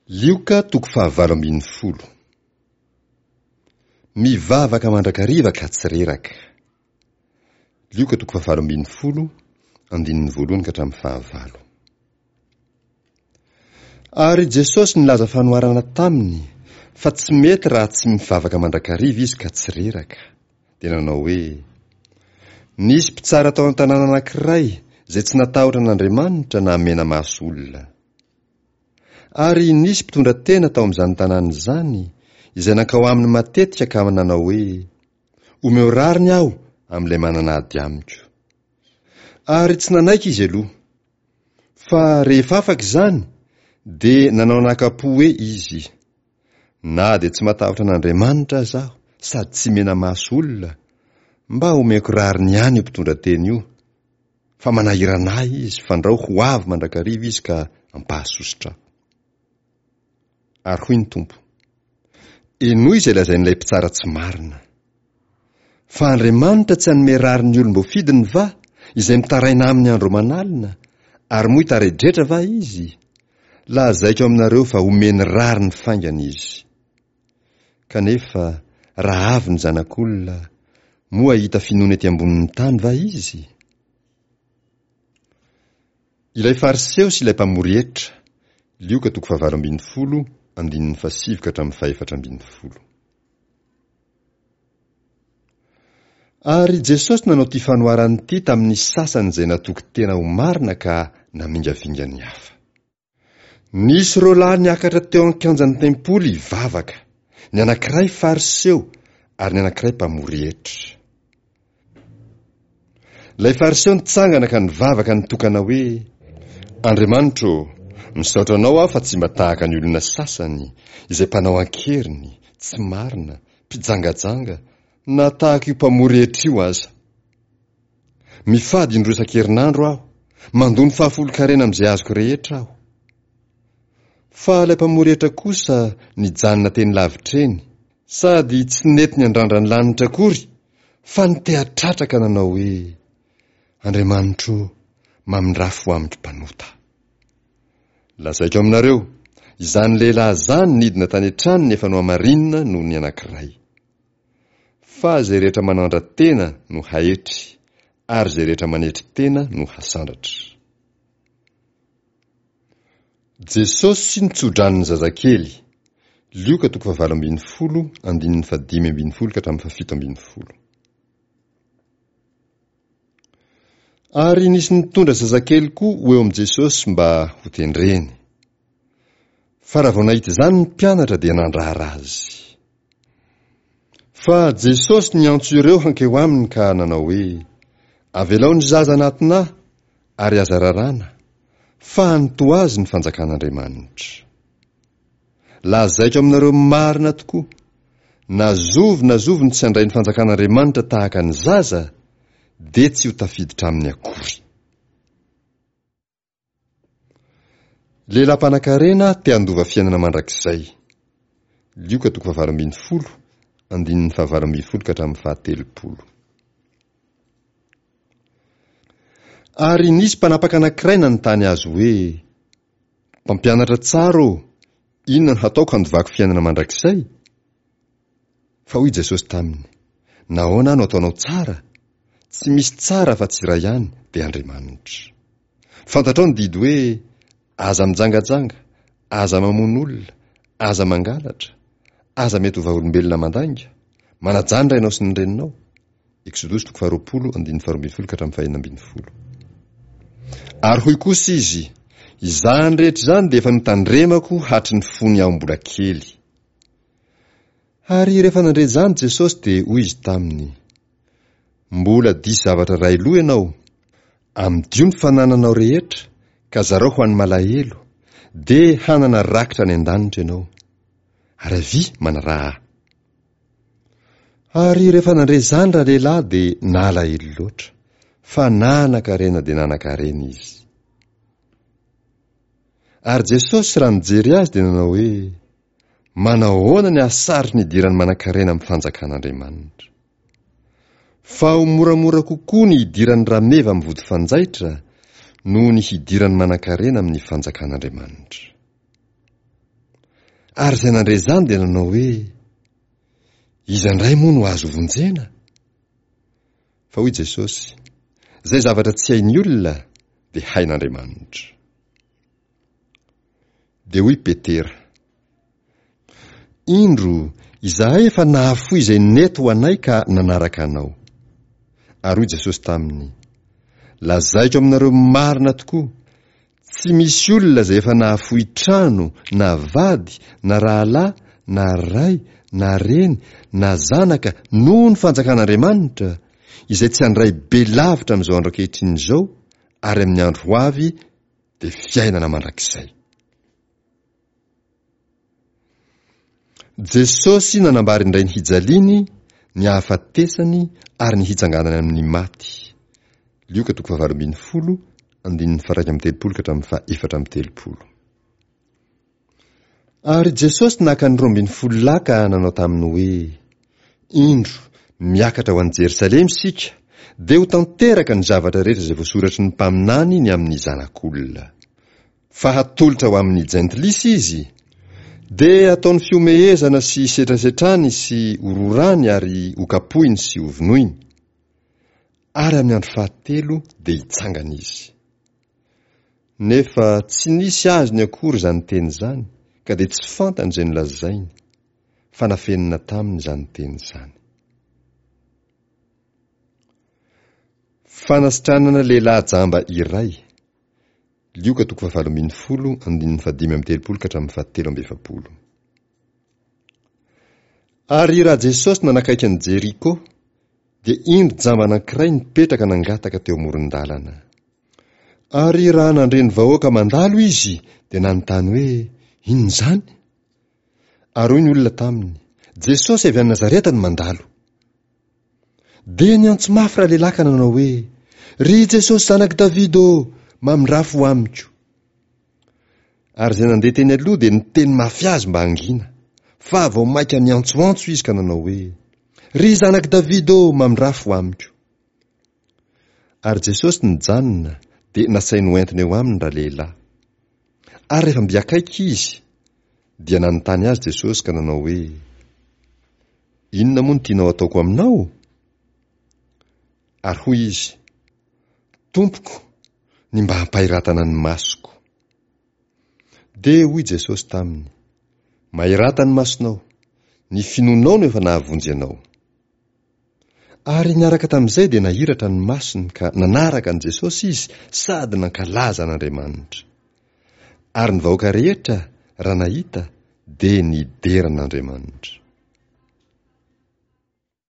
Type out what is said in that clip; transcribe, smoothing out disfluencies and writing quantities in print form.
Lioka toko fahavalo ambin'ny folo. Mivavaka mandrakariva ka tsy reraka. Lioka toko fahavalo ambin'ny folo, andininy voalohany ka hatramin'ny fahavalo. Ary Jesosy nilaza fanoharana taminy fa tsy mety raha tsy mivavaka mandrakariva izy ka tsy reraka. Dia nanao hoe, Nisy mpitsara tao an-tanàna anankiray izay tsy natahotra an'Andriamanitra na mena-maso olona. Ary nisy mpitondra tena tao amin'izany tanàna izany, izay nankao aminy matetika ka nanao hoe, Omeo rariny aho amin'ilay manana ady amiko. Ary tsy nanaiky izy aloha. Fa rehefa afaka izany, dia nanao anakam-po hoe izy, Na dia tsy matahotra an'Andriamanitra aza aho sady tsy mena-maso olona, mba omeko rariny ihany io mpitondra tena io, fa manahirana ahy izy fandrao ho avy mandrakariva izy ka ampahasosotra aho. Ary hoy ny Tompo, Henoy izay lazain'ilay mpitsara tsy marina. Fa Andriamanitra tsy hanome rariny ny olom-boafidiny va, izay mitaraina aminy andro aman'alina, ary moa hitaredretra va izy? Lazaiko aminareo fa homeny rariny faingana izy. Kanefa, raha avy ny Zanak'olona, moa hahita finoana ety ambonin'ny tany va izy? Ilay Fariseo sy ilay mpamory hetra, Lioka toko fahavalo ambin'ny folo, andininy fahasivy ka hatramin'ny fahefatra ambin'ny folo. Ary Jesosy nanao ity fanoharana ity tamin'ny sasany izay natoky tena ho marina ka namingavinga ny hafa. Nisy roa lahy niakatra teo an-kianjan'ny tempoly hivavaka, ny anankiray Fariseo ary ny anankiray mpamory hetra. Ilay Fariseo nitsangana ka nivavaka nitokana hoe, Andriamanitro ô, misaotra Anao aho fa tsy mba tahaka ny olona sasany, izay mpanao an-keriny, tsy marina, mpijangajanga, na tahaka io mpamory hetra io aza. Mifady indroa isan-kerinandro aho, mandoa ny fahafolon-karena amin'izay azoko rehetra aho. Fa ilay mpamory hetra kosa nijanona teny lavitra eny, sady tsy nety niandrandra ny lanitra akory, fa niteha-tratra ka nanao hoe, Andriamanitro ô, mamindrà fo amiko mpanota. Lazaiko aminareo, izany lehilahy izany nidina tany an-tranony efa nohamarinina noho ny anankiray. Fa izay rehetra manandra-tena no haetry, ary izay rehetra manetry tena no hasandratra. Jesosy nitso-drano ny zazakely, Lioka toko fahavalo ambin'ny folo, andininy fahadimy ambin'ny folo ka hatramin'ny fahafito ambin'ny folo. Ary nisy nitondra zazakely koa ho eo amin'i Jesosy mba hotendreny. Fa raha vao nahita izany ny mpianatra dia nandrara azy. Fa Jesosy niantso ireo hankeo aminy ka nanao hoe, Avelao ny zaza hanatona Ahy, ary aza raràna, fa any toa azy ny fanjakan'Andriamanitra. Lazaiko aminareo marina tokoa, na zovy na zovy no tsy handray ny fanjakan'Andriamanitra tahaka ny zaza, dia tsy ho tafiditra aminy akory. Lehilahy mpanankarena te handova fiainana mandrakizay. Lioka toko fahavalo ambin'ny folo, andininy fahavalo ambin'ny folo ka hatramin'ny fahatelopolo. Ary nisy mpanapaka anankiray nanontany azy hoe, Mpampianatra tsara ô, inona no hataoko handovako fiainana mandrakizay? Fa hoy Jesosy taminy, Nahoana aho no ataonao tsara? Tsy misy tsara afa-tsy iray ihany, dia Andriamanitra. Fantatrao ny didy hoe, Aza mijangajanga, aza mamono olona, aza mangalatra, aza mety ho vavolombelona mandainga, manajà ny rainao sy ny reninao. Eksodosy toko faharoapolo, andininy faharoa ambin'ny folo ka hatramin'ny fahenina ambin'ny folo. Ary hoy kosa izy, Izany rehetra izany dia efa notandremako hatry ny fony aho mbola kely. Ary rehefa nandre izany Jesosy dia hoy izy taminy, Mbola diso zavatra iray loha ianao. Amidio ny fanananao rehetra ka zarao ho an'ny malahelo, dia hanana rakitra any an-danitra ianao. Ary avia manaraha ahy. Ary rehefa nandre izany ralehilahy dia nalahelo loatra, fa nanan-karena dia nanan-karena izy. Ary Jesosy raha nijery azy dia nanao hoe, Manahoana ny hahasarotry ny hidiran'ny manan-karena amin'ny fanjakan'Andriamanitra. Fa ho moramora kokoa ny hidiran'ny rameva amin'ny vody fanjaitra noho ny hidiran'ny manan-karena amin'ny fanjakan'Andriamanitra. Ary izay nandre izany dia nanao hoe, Iza indray moa no azo vonjena? Fa hoy Jesosy, Izay zavatra tsy hain'ny olona dia hain'Andriamanitra. Dia hoy Petera, Indro, izahay efa nahafoy izay nety ho anay ka nanaraka Anao. Ary hoy Jesosy taminy, Lazaiko aminareo marina tokoa, tsy misy olona izay efa nahafoy trano, na vady, na rahalahy, na ray, na reny, na zanaka noho ny fanjakan'Andriamanitra, izay tsy handray be lavitra amin'izao andro ankehitriny izao ary amin'ny andro ho avy dia fiainana mandrakizay. Jesosy nanambara indray ny hijaliany, ny hahafatesany ary ny hitsanganany amin'ny maty. Lioka toko fahavalo ambin'ny folo, andininy faha-31 ka hatramin'ny faha-34. Ary Jesosy naka ny 12 lahy ka nanao taminy hoe, Indro, miakatra ho any Jerosalema isika, dia ho tanteraka ny zavatra rehetra izay voasoratry ny mpaminany ny amin'ny Zanak'olona. Fa hatolotra ho amin'ny jentilisa izy, dia hataony fihomehezana sy setrasetrany sy hororany ary hokapohiny sy hovonoiny. Ary amin'ny andro fahatelo dia hitsangana izy. Nefa tsy nisy azony akory izany teny izany, ka dia tsy fantany izay nolazainy, fa nafenina taminy izany teny izany. Fanasitranana lehilahy jamba iray, Lioka toko fahavalo ambin'ny folo, andininy fahadimy amby telopolo ka hatramin'ny fahatelo amby efapolo. Ary raha Jesosy nanakaiky an'i Jeriko, dia indro jamba anankiray nipetraka nangataka teo amoron-dalana. Ary raha nandre ny vahoaka mandalo izy, dia nanontany hoe, Inona izany? Ary hoy ny olona taminy, Jesosy avy any Nazareta no mandalo. Dia niantso mafy ralehilahy ka nanao hoe, Ry Jesosy zanak'i Davida ô, mamindrafo ho amiko. Ary izay nandeha teny aloha dia niteny mafy azy mba hangina, fa vao mainka niantsoantso izy ka nanao hoe, Ry zanak'i Davida ô, mamindrafo ho amiko. Ary Jesosy nijanona, dia nasainy hoentina eo aminy ralehilahy. Ary rehefa mby akaiky izy, dia nanontany azy Jesosy ka nanao hoe, Inona moa no tianao hataoko aminao? Ary hoy izy, Tompoko, ny mba hampahiratana ny masoko. Dia hoy Jesosy taminy, Mahirata ny masonao, ny finoanao no efa nahavonjy anao. Ary niaraka tamin'izay dia nahiratra ny masony ka nanaraka an'i Jesosy izy sady nankalaza an'Andriamanitra. Ary ny vahoaka rehetra, raha nahita, dia nidera an'Andriamanitra.